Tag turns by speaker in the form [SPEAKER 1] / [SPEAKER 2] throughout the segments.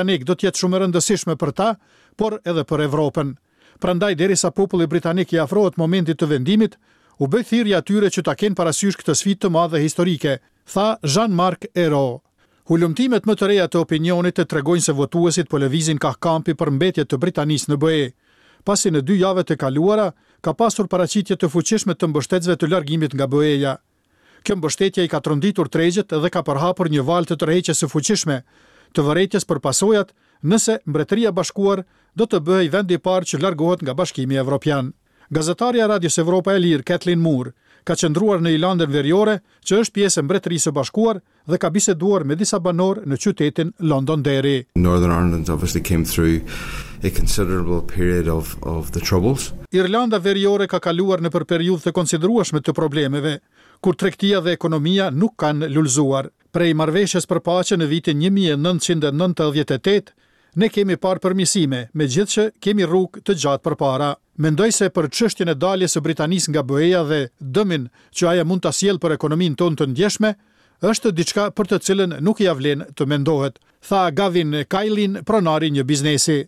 [SPEAKER 1] Britanik do të jetë shumë e rëndësishme për ta, por edhe për Evropën. Prandaj derisa populli britanik i afrohet momentit të vendimit, u bëj thirrje atyre që ta kenë parasysh këtë sfidë të madhe historike, tha Jean-Marc Ayrault. Hulumtimet më të reja të opinionit tregojnë se votuesit po lëvizin kah kampi për mbetje të Britanisë në BE, pasi në dy javët e kaluara ka pasur paraqitje të fuqishme të mbështetësve të largimit nga BE-ja. Kjo mbështetje i ka tronditur tregjet dhe ka përhapur një valë të tërheqjes së fuqishme të vërejtjes për pasojat nëse Mbretëria e Bashkuar do të bëhej vendi i parë që largohet nga Bashkimi Evropian. Gazetarja e Radios Evropa e Lirë, Kathleen Moore, ka qëndruar në Irlandën Veriore, që është pjesë e Mbretërisë së Bashkuar dhe ka biseduar me disa banorë në qytetin Londonderry.
[SPEAKER 2] Northern Ireland obviously came through a considerable period of of the troubles.
[SPEAKER 1] Irlanda Veriore ka kaluar nëpër periudhë të konsiderueshme të problemeve, kur tregtia dhe ekonomia nuk kanë lulëzuar. Prej marrëveshjes për paqe në vitin 1998, ne kemi parë përmirësime, megjithëqë kemi rrugë të gjatë përpara. Mendoj se për çështjen e daljes së Britanisë nga BE-ja dhe dëmin që ajo mund ta sjellë për ekonominë tonë të ndjeshme, është diçka për të cilën nuk ia vlen të mendohet, tha Gavin Kailin, pronari i një biznesi.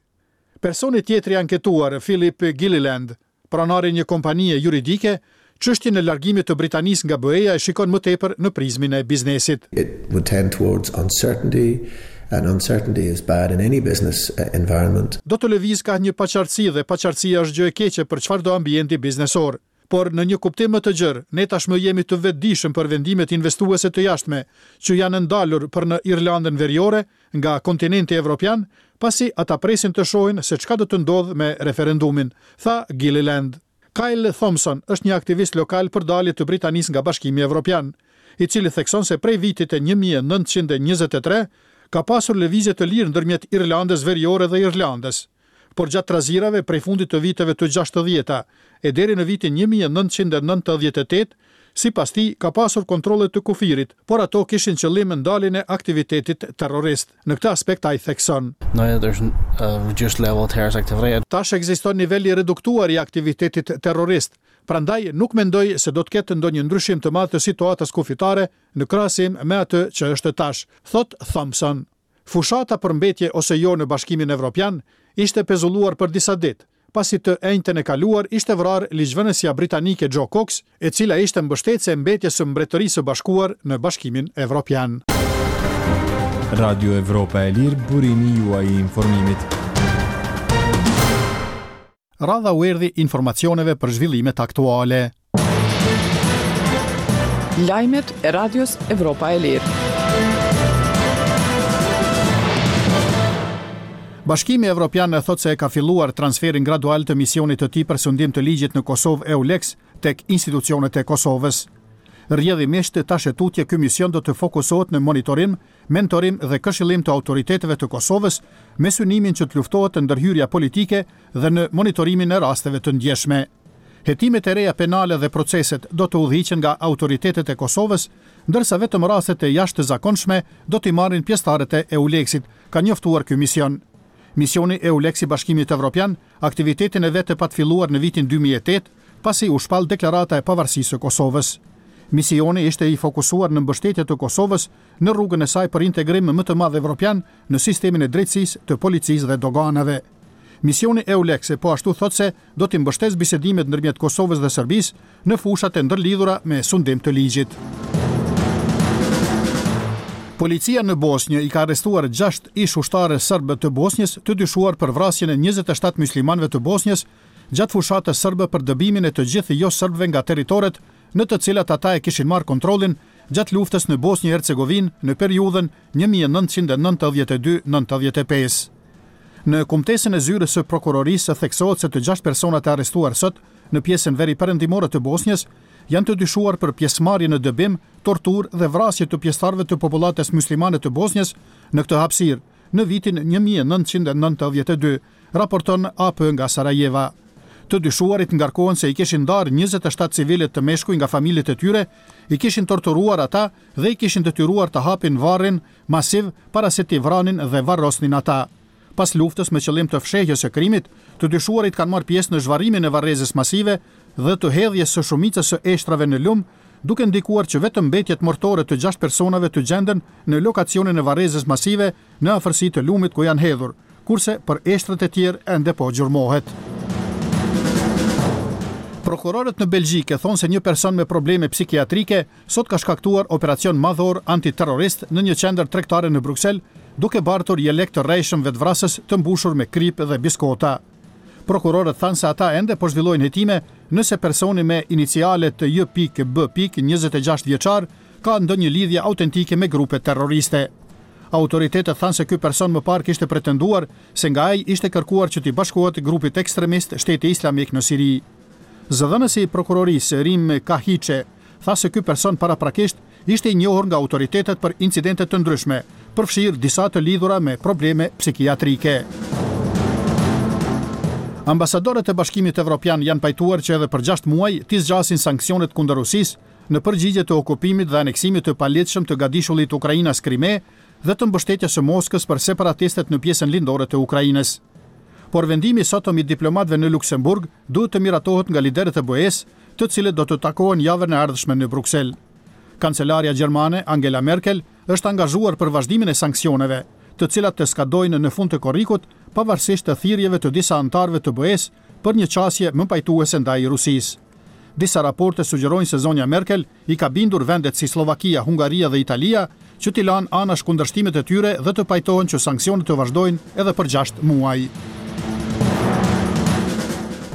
[SPEAKER 1] Personi tjetër i anketuar, Philip Gilliland, pronari i një kompanie juridike, çështjen e largimit të Britanisë nga BE-ja e shikon më tepër në prizmin e biznesit.
[SPEAKER 3] It would tend towards uncertainty and uncertainty is bad in any business environment.
[SPEAKER 1] Do të lëvizë kah një paqartësi dhe paqartësia është gjë e keqe për çfarëdo ambienti biznesor. Por në një kuptim më të gjerë, ne tashmë jemi të vetëdijshëm për vendimet investuese të jashtme që janë ndalur për në Irlandën Veriore nga kontinenti evropian, pasi ata presin të shohin se çka do të ndodhë me referendumin, tha Gilliland. Kyle Thompson është një aktivist lokal për dalje të Britanisë nga Bashkimi Evropian, i cili thekson se prej vitit 1923 ka pasur lëvizje të lirë ndërmjet Irlandës Veriore dhe Irlandës. Por gjatë trazirave prej fundit të viteve të 60-ta e deri në vitin 1998, sipas tij, ka pasur kontrolle të kufirit, por ato kishin qëllim ndaljen e aktivitetit terrorist. Në këtë aspekt ai thekson.
[SPEAKER 4] Now there's a reduced level of terrorist activity.
[SPEAKER 1] Tash ekziston nivel i reduktuar i aktivitetit terrorist, prandaj nuk mendoj se do të ketë ndonjë ndryshim të madh të situatës kufitare në krahasim me atë që është tash, thotë Thompson. Fushata për mbetje ose jo në Bashkimin Evropian ishte pezulluar për disa ditë, pasi të enjten e kaluar ishte vrarë ligjvënësja britanike Jo Cox, e cila ishte mbështetëse e mbetjes së Mbretërisë së Bashkuar në Bashkimin Evropian.
[SPEAKER 5] Radio Evropa e Lirë, burimi juaj i informimit.
[SPEAKER 1] Radha u erdhi informacioneve për zhvillimet aktuale.
[SPEAKER 6] Lajmet e Radios Evropa e Lirë.
[SPEAKER 1] Bashkimi Evropian thotë se e ka filluar transferin gradual të misionit të tij për sundim të ligjit në Kosovë EULEX tek institucionet e Kosovës. Rrjedhimisht, tash e tutje ky mision do të fokusohet në monitorim, mentorim dhe këshillim të autoriteteve të Kosovës me synimin që të luftohet ndërhyrja politike dhe në monitorimin e rasteve të ndjeshme. Hetimet e reja penale dhe proceset do të udhëhiqen nga autoritetet e Kosovës, ndërsa vetëm rastet e jashtëzakonshme do t'i marrin pjesëtarët e EULEX-it, ka njoftuar ky mision. Misioni EULEX i Bashkimit Evropian aktivitetin e vet e pat filluar në vitin 2008, pasi u shpall deklarata e pavarësisë së Kosovës. Misioni ishte i fokusuar në mbështetje të Kosovës në rrugën e saj për integrim më të madh evropian në sistemin e drejtësisë, të policisë dhe doganave. Misioni EULEX po ashtu thotë se do t'i mbështesë bisedimet ndërmjet Kosovës dhe Serbisë në fushat e ndërlidhura me sundim të ligjit. Policia në Bosnjë i ka arrestuar 6 ish-ushtarë serbë të Bosnjës të dyshuar për vrasjen e 27 muslimanëve të Bosnjës gjatë fushatës serbe për dëbimin e të gjithë jo-serbëve nga territoret në të cilat ata e kishin marrë kontrollin gjatë luftës në Bosnjë e Hercegovinë në periudhën 1992-95. Në kumtesën e zyrës së prokurorisë theksohet se të gjashtë personat e arrestuar sot në pjesën veriperëndimore të Bosnjës janë të dyshuar për pjesëmarrje në dëbim, torturë dhe vrasje të pjesëtarëve të popullatës muslimane të Bosnjës në këtë hapësirë në vitin 1992, raporton AP nga Sarajeva. Të dyshuarit ngarkohen se i kishin ndarë 27 civilët të meshkuj nga familjet e tyre, i kishin torturuar ata dhe i kishin detyruar të hapin varrin masiv para se t'i vranin dhe varrosnin ata. Pas luftës me qëllim të fshehjes së krimit, të dyshuarit kanë marrë pjesë në zhvarrimin e varrezës masive dhe të hedhjes së shumicës së eshtrave në lum, duke ndikuar që vetëm mbetjet mortore të gjashtë personave të gjenden në lokacionin e varrezës masive në afërsi të lumit ku janë hedhur, kurse për eshtrat e tjerë ende po gjurmohet. Prokurorët në Belgjikë thonë se një person me probleme psikiatrike sot ka shkaktuar operacion madhor antiterrorist në një qendër tregtare në Bruksel, duke bartur jelek të rrejshëm vetëvrasës të mbushur me kripë dhe biskota. Prokurorët thanë se ata ende po zhvillojnë hetime nëse personi me inicialet J.B. 26 vjeçar ka ndonjë lidhje autentike me grupe terroriste. Autoritetet thanë se ky person më parë kishte pretenduar se nga ai ishte kërkuar që t'i bashkohet grupit ekstremist Shteti Islamik në Siri. Zëdhënësi i prokurorisë, Rim Kahiçe, tha se ky person paraprakisht ishte i njohur nga autoritetet për incidente të ndryshme, përfshirë disa të lidhura me probleme psikiatrike. Ambasadorët e Bashkimit Evropian janë pajtuar që edhe për 6 muaj t'i zgjasin sanksionet kundër Rusisë në përgjigje të okupimit dhe aneksimit të paligjshëm të gadishullit ukrainas Krime dhe të mbështetjes së Moskës për separatistët në pjesën lindore të Ukrainës. Por vendimi i sotëm i diplomatëve në Luksemburg duhet të miratohet nga liderët e BE-së, të cilët do të takohen javën e ardhshme në Bruksel. Kancelarja gjermane, Angela Merkel, është angazhuar për vazhdimin e sanksioneve, të cilat të skadojnë në fund të korrikut, pavarësisht të thirrjeve të disa anëtarëve të BE-së për një qasje më pajtuese ndaj Rusisë. Disa raporte sugjerojnë se zonja Merkel i ka bindur vendet si Sllovakia, Hungaria dhe Italia që t'i lanë anash kundërshtimet e tyre dhe të pajtohen që sanksionet të vazhdojnë edhe për gjashtë muaj.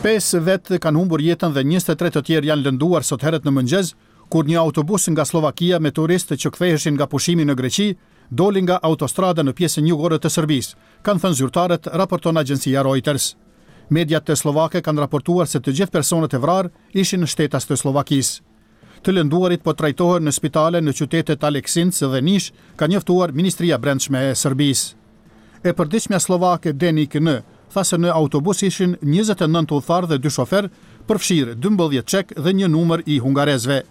[SPEAKER 1] Pesë vetë kanë humbur jetën dhe 23 të tjerë janë lënduar sot herët në mëngjes, kur një autobus nga Sllovakia me turistë që ktheheshin nga pushimi në Greqi doli nga autostrada në pjesën jugore të Serbisë, kanë thënë zyrtarët, raporton agjencia Reuters. Mediat sllovake kanë raportuar se të gjithë personat e vrarë ishin shtetas të Sllovakisë. Të lënduarit po trajtohen në spitale në qytetet Aleksinc dhe Nish, ka njoftuar Ministria e Brendshme e Serbisë. E përditshmja sllovake Dennik N tha se në autobus ishin 29 udhëtarë dhe dy shoferë, përfshirë 12 çekë dhe një numër i hungarezëve.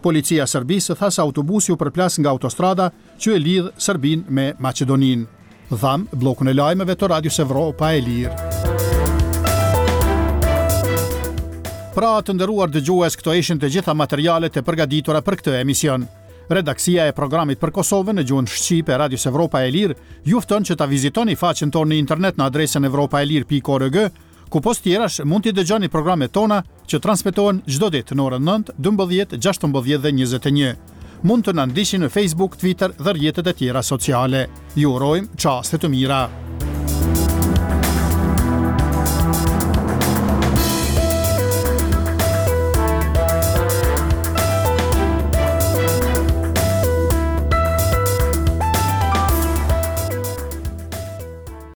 [SPEAKER 1] Policia e Serbisë tha se autobusi u përplas nga autostrada që e lidh Serbinë me Maqedoninë. Dhamë bllokun e lajmeve të Radios Evropa e Lirë. Pra, të nderuar dëgjues, këto ishin të gjitha materialet e përgatitura për këtë emision. Redaksia e programit për Kosovën në gjuhën shqipe e Radios Evropa e Lirë ju fton që ta vizitoni faqen tonë në internet në adresën evropaelire.org ku pos tjerash mund t'i dëgjoni programet tona që transmetohen çdo ditë në orën 9, 12, 16 dhe 21. Mund të na ndiqni në Facebook, Twitter dhe rrjetet e tjera sociale. Ju urojmë çaste të mira.